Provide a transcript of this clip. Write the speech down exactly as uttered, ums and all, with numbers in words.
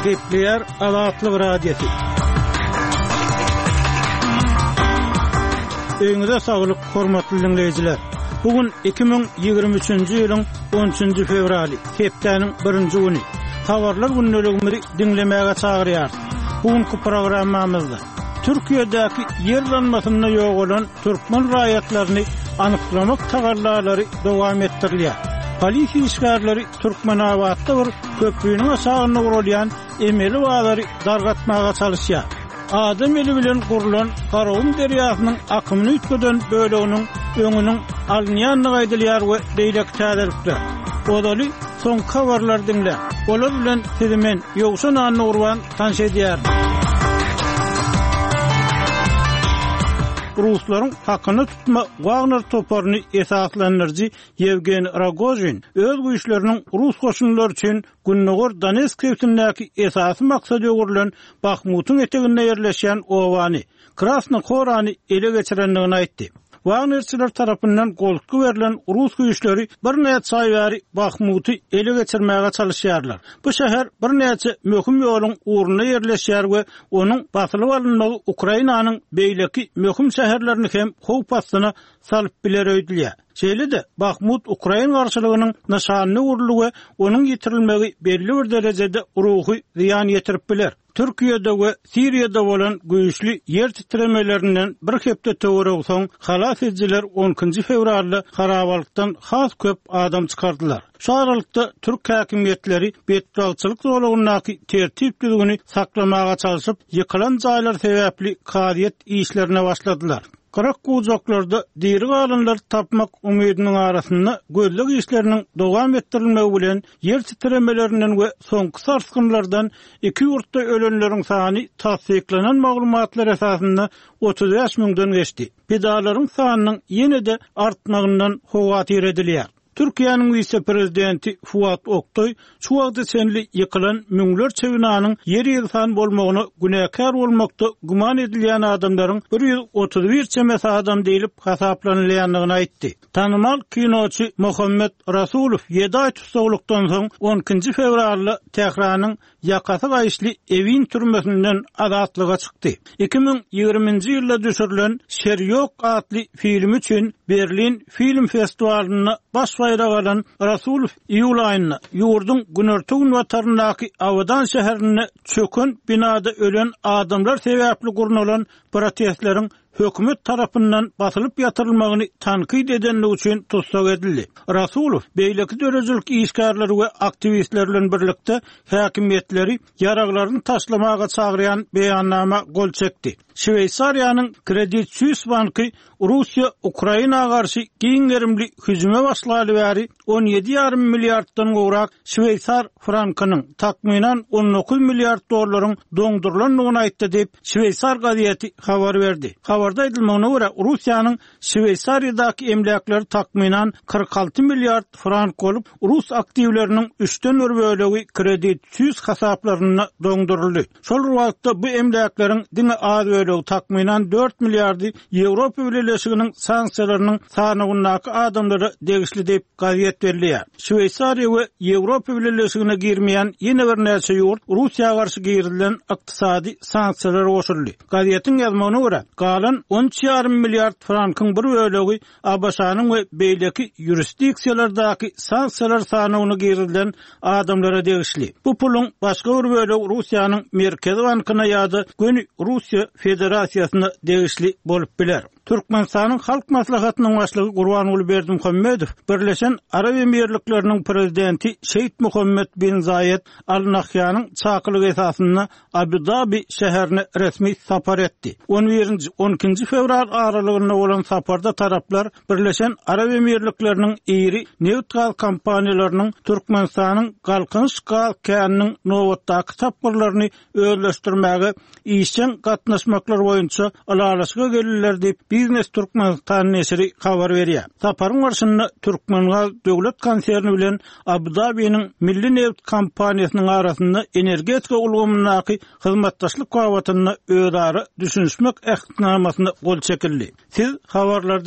Gepleýär Azatlyk Radiosy. Öýüňize saglyk, hormatly diňleýjiler. Bu gün iki müň ýigrimi üçünji ýylyň on üçünji fewraly, hepdäniň birinji güni. Habarlar gündeligimizi diňlemäge çagyrýarys. Bu günki programmamyzda Türkiýedäki ýer yranmasynda ýogalan türkmen raýatlaryny anyklamak tagallalary dowam etdirilýär. Polisiýa işgärleri Türkmenabatda bir köprüniň aşagynda gurulýan emeli bazary dargatmaga çalyşýar. Adam eli bilen gurlan Garagum derýasynyň akymyny üýtgeden böleginiň öňüniň alynýandygy aýdylýar we beýleki täzelikler. Ozaly soňky habarlary diňläň. Olar bilen sizi men, Ýowşan Annagurban, tanyş edýärin. Ruslaryň hakyna tutma Wagner toparyny esaslandyryjy Ýewgeniý Rogožin öz güýçleriniň rus goşunlary üçin Gündogar Donetsk sebitindäki esasy maksada öwrülen Bahmutyň eteginde ýerleşýän obany, Krasna Horany ele geçirendigini aýtdy. Wagnerçiler tarapyndan goltgy berlen rus güýçleri birnäçe aý bäri Bahmuty ele geçirmäge çalyşýarlar. Bu şäher birnäçe möhüm ýoluň ugrunda ýerleşýär we onuň basylyp alynmagy Ukrainanyň beýleki möhüm şäherlerini hem howp astyna salyp biler öýdülýär. Şeýle-de Bahmut ukrain garşylygynyň nyşanyna öwrüldi we onuň ýitirilmegi belli bir derejede ruhy zyýan ýetirip biler. Türkiýede we Siriýada bolan güýçli ýer titremelerinden bir hepde töweregi soň halas edijiler on ikinji fewralda harabalykdan has köp adam çykardylar. Şu aralykda türk häkimiýetleri betbagtçylyk zolagyndaky tertip-düzgüni saklamaga çalşyp, ýykylan jaýlar sebäpli kazyýet işlerine başladylar. Gyrak gujaklarda diri galanlary tapmak umydynyň arasynda gözleg işleriniň dowam etdirilmegi bilen ýer titremelerinden we soňky sarsgynlardan iki ýurtda ölenleriň sany tassyklanan maglumatlar esasynda otuz bäş müňden geçdi. Pidalaryň sanynyň ýene-de artmagyndan howatyr edilýär. Türkiýäniň wise-prezidenti Fuat Oktaý şu wagta çenli ýykylan müňlerçe binanyň ýer ýegsan bolmagyna günäkär bolmakda güman edilýän adamlaryň bir ýüz otuz bir çemesi adam diýlip hasaplanylýandygyny aýtdy. Tanymal kinoçy Muhammed Rasulow ýedi aý tussaglykdan soň on ikinji fewralda Tähranyň ýakasy gaýyşly Ewin türmesinden azatlyga çykdy. Iki müň ýigriminji ýylda düşürilen Şer ýok atly film üçin Berlin film festiwalynda baş baýrak alan Rasulow iýul aýynda ýurduň günorta-günbataryndaky Abadan şäherinde çöken binada ölen adamlar sebäpli gurnalan protestleriň hökümet tarapyndan basylyp ýatyrylmagyny tankyt edenligi üçin tussag edildi. Rasulow beýleki döredijilik işgärleri we aktiwistler bilen birlikde häkimiýetleri ýaraglaryny taşlamaga çagyrýan beýannama gol çekdi. Şweýsariýanyň Credit Suisse banky Russiýa Ukraina garşy giň gerimli hüjüme başlaly bäri on ýedi ýarym milliarddan gowrak şweýsar frankynyň takmynan on dokuz milliard dollaryň doňdurylandygyny aýtdy diýip Şweýsar gazeti habar berdi. Habarda aýdylmagyna görä Russiýanyň Şweýsariýadaky emläkleri takmynan kyrk alty milliard frank bolup, rus aktiwleriniň üçden bir bölegi Credit Suisse hasaplarynda doňduryldy. Şol wagtda bu emläkleriň diňe az bölegi takmynan dört milliardy Ýewropa Bileleşiginiň sanksiýalarynyň sanawyndaky adamlara degişli diýip gazet belleýär. Şweýsariýa we Ýewropa Bileleşigine girmeýän ýene birnäçe ýurt Russiýa garşy girilen ykdysady sanksiýalara goşuldy. Gazetiň ýazmagyna görä, galan on üç ýarym milliard frankyň bir bölegi A B Ş-nyň we beýleki ýurisdiksiýalardaky sanksiýalar sanawyna girilen adamlara degişli. Bu puluň başga bir bölegi Russiýanyň Merkezi bankyna ýa-da göni Russiýa Federasiýasyna degişli bolup biler. Türkmenistanyň Halk Maslahatynyň başlygy Gurbanguly Berdimuhamedow Birleşen Arap Emirlikleriniň prezidenti Şeýh Muhammed bin Zaýed Al Nahýanyň çakylygy esasynda Abu Dabi şäherine resmi sapar etdi. On birinji, on ikinji fewral aralygynda bolan saparda taraplar Birleşen Arap Emirlikleriniň iri neft gaz kompaniýalarynyň Türkmenistanyň Galkynyş gaz käniniň nobatdaky tapgyrlaryny özleşdirmäge işjeň gatnaşmaklar boýunça ylalaşyga geldiler diýip Biznes Türkmenistan neşiri habar berýär. Saparyň barşynda Türkmengaz döwlet konserni bilen Abu Dabiniň Milli neft kompaniýasynyň arasynda energetika ulgamyndaky hyzmatdaşlyk babatynda özara düşünişmek ähtnamasyna gol çekildi. Siz habarlardan